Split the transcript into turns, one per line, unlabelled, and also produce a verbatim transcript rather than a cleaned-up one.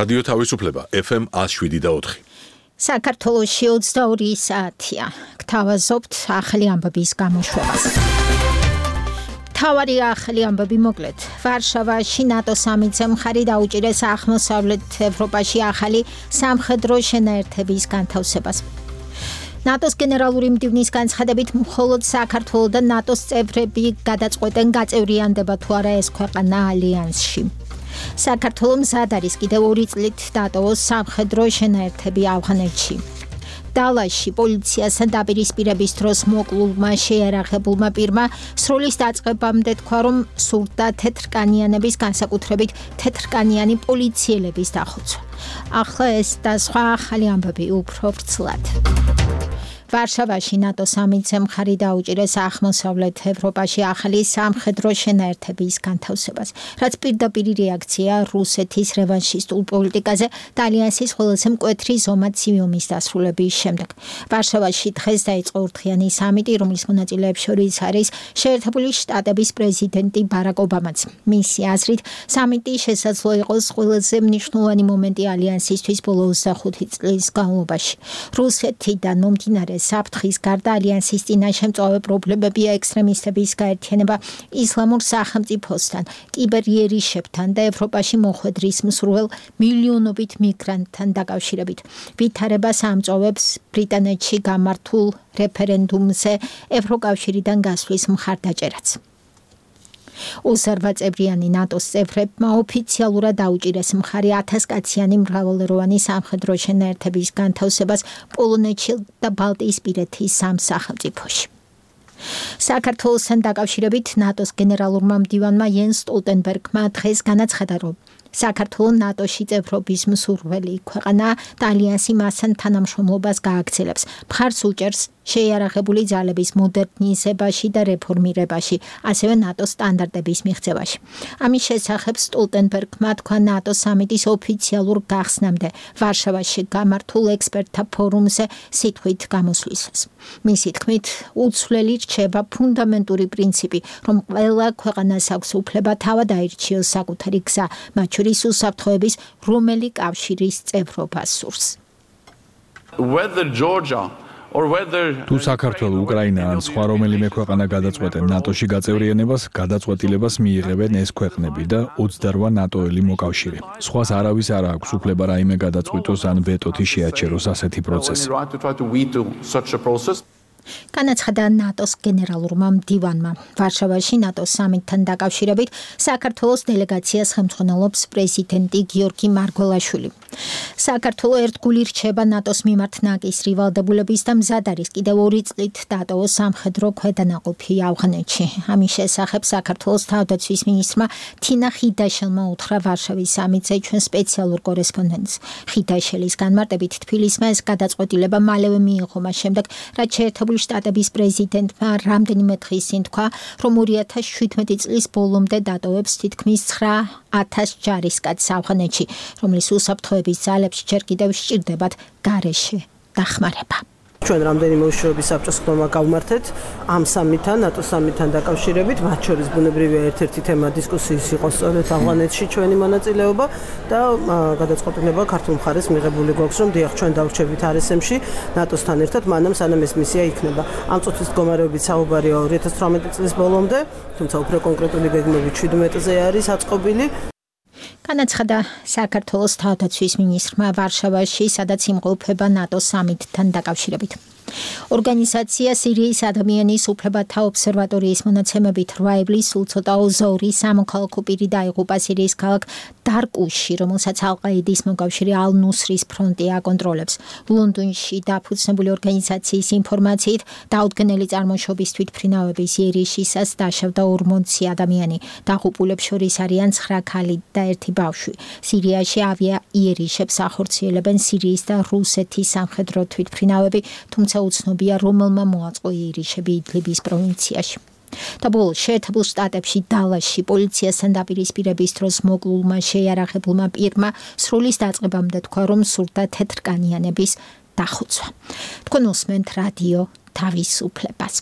რადიო თავისუფლება ეფ ემ one oh seven და four.
საქართველოში ოცდაორი საათია. გთავაზობთ ახალი ამბების გამოშვებას. მთავარი ახალი ამბები მოკლედ. ვარშავაში ნატო სამიტზე მხარი დაუჭირეს აღმოსავლეთ ევროპაში ახალი სამხედრო შენაერთების განთავსებას. ნატოს გენერალური მდივნის განცხადებით მხოლოდ საქართველო და ნატოს წევრები გადაწყვეტენ გაწევრიანდება თუ არა ეს ქვეყანა ალიანსში. საქართველო მზად არის კიდევ ორი წლით დატოვოს სამხედრო შენაერთები ავღანეთში. დალაში პოლიციასთან დაპირისპირების დროს მოკლულმა შეიარაღებულმა პირმა სროლის დაწყებამდე თქვა, რომ სურდა თეთრკანიანების, განსაკუთრებით თეთრკანიანი პოლიციელების დახოცვა. ახლა ეს და სხვა ახალი ამბები უფრო ვრცლად. ვარშავაში ნატო სამიტზე მხარი დაუჭირეს აღმოსავლეთ ევროპაში ახალი სამხედრო შენაერთების განთავსებას, რაც პირდაპირი რეაქცია რუსეთის რევანშისტულ პოლიტიკაზე და ალიანსის ყველაზე მკვეთრი ზომაცივიუმის დასრულების შემდეგ. ვარშავაში დღეს დაიწყო ორდღიანი სამიტი, რომლის მონაწილეებს შორის არის შეერთებული შტატების პრეზიდენტი ბარაკ ობამაც. მისი აზრით, სამიტი შესაძლო იყოს ყველაზე მნიშვნელოვანი მომენტი ალიანსისთვის ბოლო ოცდახუთი წლის განმავლობაში. რუსეთიდან მომდინარე საფრთხის გარდა ალიანსის წინაშე მწვავე პრობლემებია ექსტრემისტების გაერთიანება ისლამურ სახელმწიფოსთან, კიბერიერიშებთან და ევროპაში მოხვედრის მსურველ მილიონობით მიგრანტთან დაკავშირებით. ვითარებას ამწვავებს ბრიტანეთში გამართულ რეფერენდუმზე ევროკავშირიდან გასვლის მხარდაჭერაც. ოცდაორი წევრიანი ნატოს წევრებმა ოფიციალურად დაუჭირეს მხარი ათასკაციანი მრავალეროვანი სამხედრო შენაერთების განთავსებას პოლონეთში და ბალტიისპირეთის სამ სახელმწიფოში. საქართველოსთან დაკავშირებით ნატოს გენერალურმა მდივანმა იენს სტოლტენბერგმა დღეს განაცხადა, რომ საქართველო ნატოში წევრობის მსურველი ქვეყანაა და ალიანსი მასთან თანამშრომლობას გააგრძელებს. მხარს უჭერს შეიარაღებული ძალების მოდერნიზებაში და რეფორმირებაში, ასევე ნატოს სტანდარტების მიღწევაში. ამის შესახებ სტოლტენბერგმა თქვა ნატოს სამიტის ოფიციალურ გახსნამდე ვარშავაში გამართულ ექსპერტთა ფორუმზე სიტყვით გამოსვლისას. მისი თქმით, უცვლელი რჩება ფუნდამენტური პრინციპი, რომ ყველა ქვეყანას აქვს უფლება თავად აირჩიოს საკუთარი გზა, მათ შორის უსაფრთხოების რომელი კავშირის წევრობა სურს.
Whether Georgia
თუ საქართველო, უკრაინა ან სხვა რომელიმე ქვეყანა გადაწყვეტენ ნატოში გაწევრიანებას, გადაწყვეტილებას მიიღებენ ეს ქვეყნები და ოცდაორი ნატოელი მოკავშირე. სხვას არავის არ აქვს უფლება რაიმე გადაწყვიტოს ან ვეტოთი შეაჩეროს ასეთი პროცესი.
განაცხადა ნატოს გენერალურმა მდივანმა. ვარშავაში ნატოს სამიტთან დაკავშირებით საქართველოს დელეგაციას ხელმძღვანელობს პრეზიდენტი გიორგი მარგველაშვილი. საქართველო ერთგული რჩება ნატოს მიმართ ნაკისრი ვალდებულების და მზად არის კიდევ ორი წლით დატოვოს სამხედრო ქვედანაყოფი ავღანეთში. ამის შესახებ საქართველოს თავდაცვის მინისტრმა თინა ხიდაშელმა უთხრა ვარშავის სამიტზე ჩვენ სპეციალურ კორესპონდენტს. ხიდაშელის განმარტებით თბილისმა ეს გადაწყვეტილება მალევე მიიღო მას შემდეგ, რაც შეერთებული შტატების პრეზიდენტმა რამდენიმე დღის წინ თქვა, რომ ორი ათას შვიდმეტი წლის ბოლომდე დატოვებს თითქმის ცხრა ათას ჯარისკაცს ავღანეთში, რომლის უსაფრთხოების ძალებს ჯერ კიდევ სჭირდებათ გარეშე დახმარება.
ჩვენ რამდენიმე უშუალო საბჭოს ხდომა გავმართეთ ამ სამიტთან, ნატო სამიტთან დაკავშირებით, მათ შორის ბუნებრივია ერთ-ერთი თემა დისკუსიის იყო სწორედ ავღანეთში ჩვენი მონაწილეობა და გადაწყვეტილება ქართულ მხარეს მიღებული გვაქვს, რომ დიახ, ჩვენ დავრჩებით არ ეს ემში ნატოსთან ერთად, მანამ სანამ ეს მისია იქნება. ამ წუთის მდგომარეობით საუბარია ორი ათას თვრამეტი წლის ბოლომდე, თუმცა უფრო კონკრეტული გეგმები შვიდმეტზე არის აწყობილი.
განაცხადა საქართველოს თავდაცვის მინისტრმა ვარშავაში, სადაც იმყოფება ნატოს სამიტთან დაკავშირებით. ორგანიზაცია სირიის ადამიანის უფლებათა ობსერვატორიის მონაცემებით რვა ივლის სულ ცოტა ოცდაორი სამოქალაქო პირი დაიღუპა სირიის ქალაქ დარკუში, რომელსაც ალ-ყაიდის მოკავშირე ალ-ნუსრის ფრონტი აკონტროლებს. ლონდონში დაფუძნებული ორგანიზაციის ინფორმაციით, დაუდგენელი წარმოშობის თვითმფრინავების იერიშისას დაშავდა ორმოცი ადამიანი. დაღუპულებს შორის არიან ცხრა ქალი და ერთი ბავშვი. სირიაში ავია იერიშებს ახორციელებენ სირიის და რუსეთის სამხედრო თვითმფრინავები, თუმცა უცნობია რომელმა მოაწყო იერიშები იდლიბის პროვინციაში. და ბოლოს შეერთებულ შტატებში დალაში პოლიციასთან დაპირისპირების დროს მოკლულმა შეიარაღებულმა პირმა სროლის დაწყებამდე თქვა, რომ სურდა თეთრკანიანების დახოცვა. თქვენ უსმენთ რადიო თავისუფლებას.